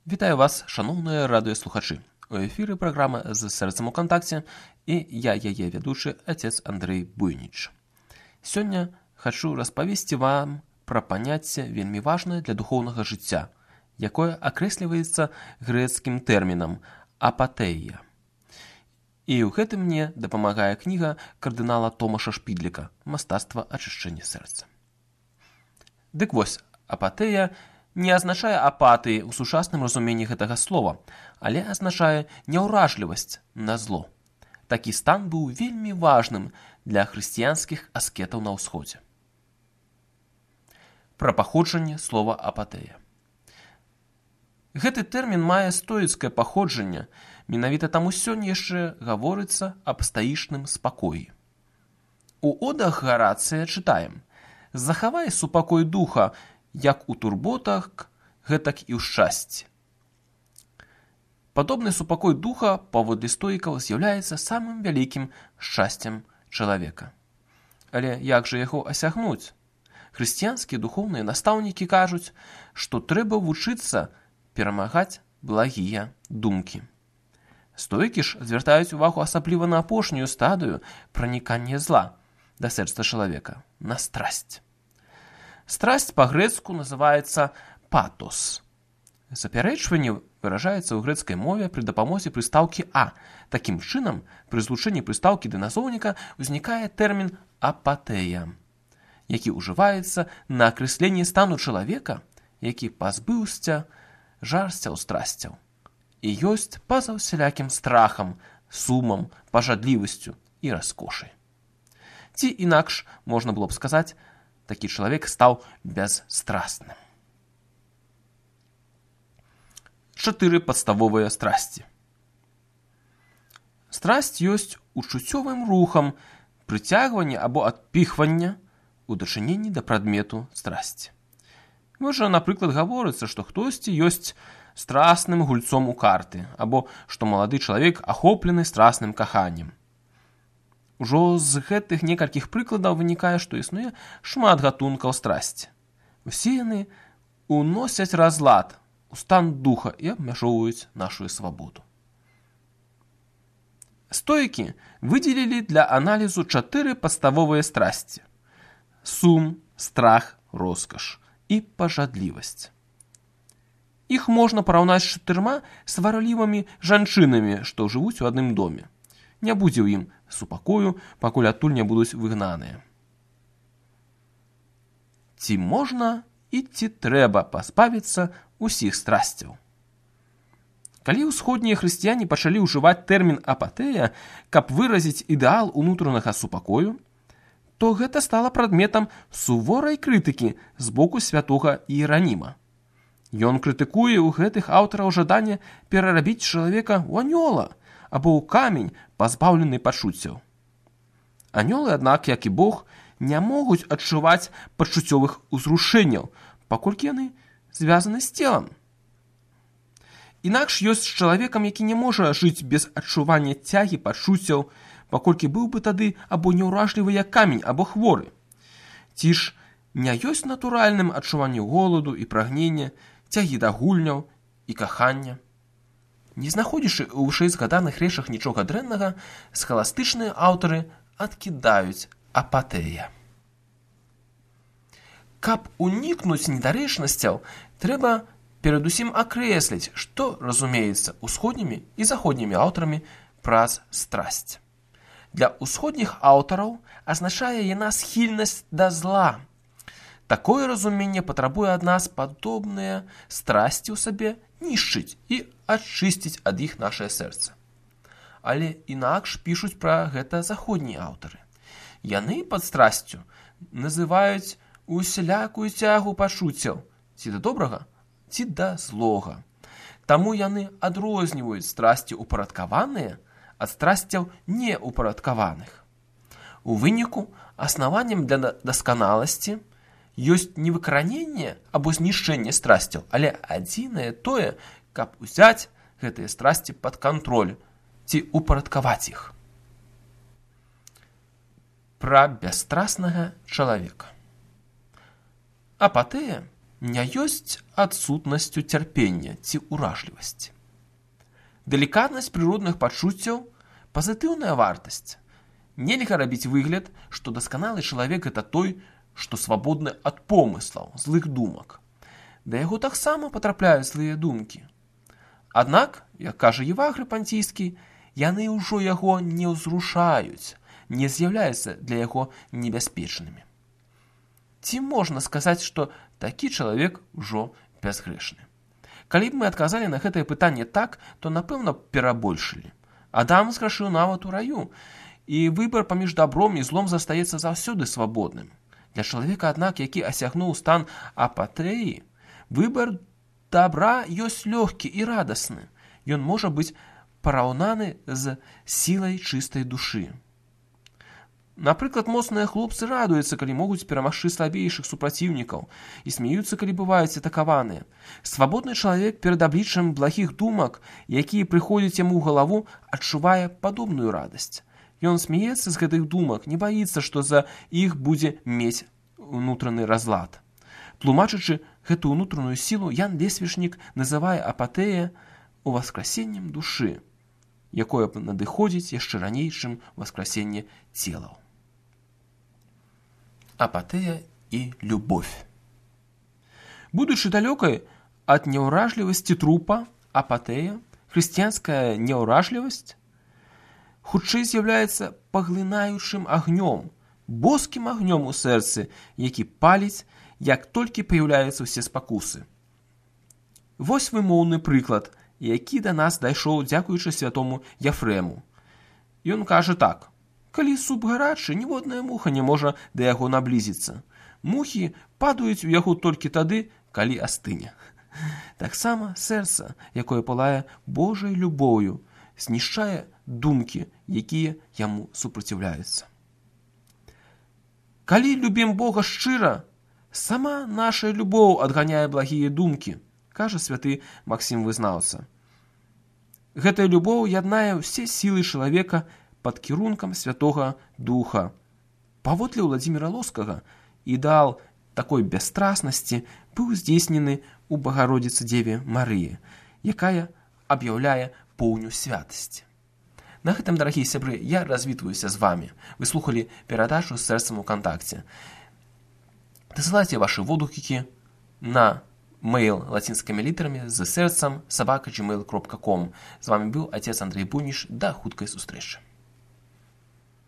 Вітаю вас, шаноўныя радыёслухачы. У эфіры праграма «З сэрцам у кантакце» і я яе вядучы отец Андрэй Буйніч. Сёння хачу распавесці вам пра паняцце вельмі важнае для духоўнага жыцця, якое акрэсліваецца грэцкім тэрмінам апатэія. І ў гэтым мне дапамагае кніга кардынала Томаша Шпідліка «Мастацтва ачышчэння сэрца». Дык вось, апатэя не азначае апатыі ў сучасным разуменні гэтага слова, але азначае няўражлівасць на зло. Такі стан быў вельмі важным для хрысціянскіх аскетаў на ўсходзе. Пра паходжанне слова апатэя. Гэты тэрмін мае стоіцкае паходжанне, менавіта таму сёння яшчэ гаворыцца аб стаічным спакоі. У одах Гарацыя чытаем: «Захавай супакой духа, як у турботах, гэтак і ў шчасці». Падобны супакой духа паводле стоікаў з'яўляецца самым вялікім шчасцем чалавека. Але як жа яго асягнуць? Хрысціянскія духоўныя настаўнікі кажуць, што трэба вучыцца перамагаць благія думкі. Стоікі ж звяртаюць увагу асабліва на апошнюю стадыю пранікання зла да сэрца чалавека, на страсць. Страсць па-грэцку называецца патос. Запярэчванне выражаецца ў грэцкай мове пры дапамозе прыстаўкі «а». Такім чынам, пры злучэнні прыстаўкі да назоўніка ўзнікае тэрмін апатэя, які ўжываецца на акрэсленне стану чалавека, які пазбыўся жарсцяў страсцяў і ёсць па-за ўсялякім страхам, сумам, пажадлівасцю і раскошай. Ці інакш можна было б сказаць, такі чалавек стаў бясстрасным. 4 падставовыя страсці. Страсць ёсць учуццёвым рухам прыцягвання або адпіхвання у дачыненні да прадмету страсці. Можа, напрыклад, гаворыцца, што хтосьці ёсць страсным гульцом у карты, або што малады чалавек ахоплены страсным каханнем. Ужо з гэтых некалькіх прыкладаў вынікае, што існуе шмат гатункаў страсці. Усе яны уносяць разлад у стан духа і абмяжоўваюць нашу свабоду. Стоікі выдзелілі для аналізу 4 падставовыя страсці: сум, страх, роскаш і пажадлівасць. Іх можна параўнаць з 4 сварлівымі жанчынамі, што жывуць у адным доме. Не будзе ў ім супакою, пакуль адтуль не будуць выгнаныя. Ці можна і ці трэба пазбавіцца усіх страсцяў? Калі ўсходнія хрысціяне пачалі ўжываць тэрмін апатэя, каб выразіць ідэал унутранага супакою, то гэта стала прадметам суворай крытыкі з боку святога Іераніма. Ён крытыкуе ў гэтых аўтараў жаданне перарабіць чалавека ў анёла або ў камень, пазбаўлены пачуццяў. Анёлы, аднак, як і Бог, не могуць адчуваць пачуццёвых узрушэнняў, паколькі яны звязаны з целам. Інакш ёсць з чалавекам, які не можа жыць без адчування цягі пачуццяў, паколькі быў бы тады або няўражлівы як камень, або хворы. Ці ж не ёсць натуральным адчуванне голаду і прагнення, цягі да гульняў і кахання? Не знаходзячы ў вышэйзгаданых рэчах нічога дрэннага, схаластычныя аўтары адкідаюць апатэя. Каб унікнуць недарэчнасцяў, трэба перадусім акрэсліць, што разумеецца усходнімі і заходнімі аўтарамі праз страсць. Для усходніх аўтараў азначае яна схільнасць да зла. Такое разуменне патрабуе ад нас падобныя страсці ў сабе нішчыць і ачысціць ад іх нашае сэрца. Але інакш пішуць пра гэта заходнія аўтары. Яны пад страсцю называюць усялякую цягу пачуццяў, ці да добрага, ці да злога. Таму яны адрозніваюць страсці упарадкаваныя ад страсцяў неупарадкаваных. У выніку аснаваннем для дасканаласці ёсць не выкараненне або знішчэнне страсцяў, але адзінае тое, каб узяць гэтыя страсці пад кантроль ці упарадкаваць іх. Пра бясстрастнага чалавека. Апатэя не ёсць адсутнасцю цярпення ці ўражлівасці. Далікатнасць прыродных пачуццяў – пазітыўная вартасць. Нельга рабіць выгляд, што дасканалы чалавек – гэта той, што свабодны ад помыслаў, злых думак. Да яго таксама патрапляюць злыя думкі. Аднак, як кажа Евагрый Пантійскі, яны ўжо яго не ўзрушаюць, не з'яўляюцца для яго небяспечнымі. Ці можна сказаць, што такі чалавек ужо бязгрэшны? Калі б мы адказалі на гэтае пытанне так, то, напэўна, перабольшылі. Адам зграшыў нават у раю, і выбар паміж добром і злом застаецца заўсёды свабодным. Для чалавека, аднак, які асягнуў стан апатэі, выбар добра ёсць лёгкі і радасны. Ён можа быць параўнаны з сілай чыстай душы. Напрыклад, моцныя хлопцы радуюцца, калі могуць перамагчы слабейшых супраціўнікаў, і смеюцца, калі бываюць атакаваныя. Свабодны чалавек перад абліччам благіх думак, якія прыходзяць яму ў галаву, адчувае падобную радасць. Ён смеецца з гэтых думак, не баіцца, што за іх будзе мець унутраны разлад. Тлумачачы гэту ўнутраную сілу, Ян Лесвічнік называе апатэя уваскрасеннем душы, якое надыходзіць яшчэ раней, чым васкрасенне целаў. Апатэя і любовь. Будучы далёкай ад няўражлівасці трупа, апатэя, хрысціянская няўражлівасць, хутчэй з'яўляецца паглынаючым агнём, боскім агнём у сэрцы, які паліць, як толькі паяўляюцца ўсе спакусы. Вось вымоўны прыклад, які да нас дайшоў дзякуючы святому Яфрэму. Ён кажа так: калі суп гарачы, ніводная муха не можа да яго наблізіцца. Мухі падаюць у яго толькі тады, калі астыне. Таксама сэрца, якое палае Божай любоўю, знішчае думкі, якія яму супраціўляюцца. Калі любім Бога шчыра, сама наша любоў адганяе благія думкі, кажа святы Максім Вызнаўца. Гэтая любоў яднае ўсе сілы чалавека пад кірункам Святога Духа. Паводле Владзіміра Лоскага, ідэал такой бясстрашнасці быў здзейснены ў Багародзіцы Дзеве Марыі, якая аб'яўляе поўню святасці. На гэтым, дарагія сябры, я развітваюся з вамі. Вы слухалі перадачу з сэрцам у кантакце. Дасылайце вашы водгукі на мэйл лацінскімі літарамі з сэрцам @gmail.com. З вамі быў отец Андрей Буніш. Да хуткай сустрэчы.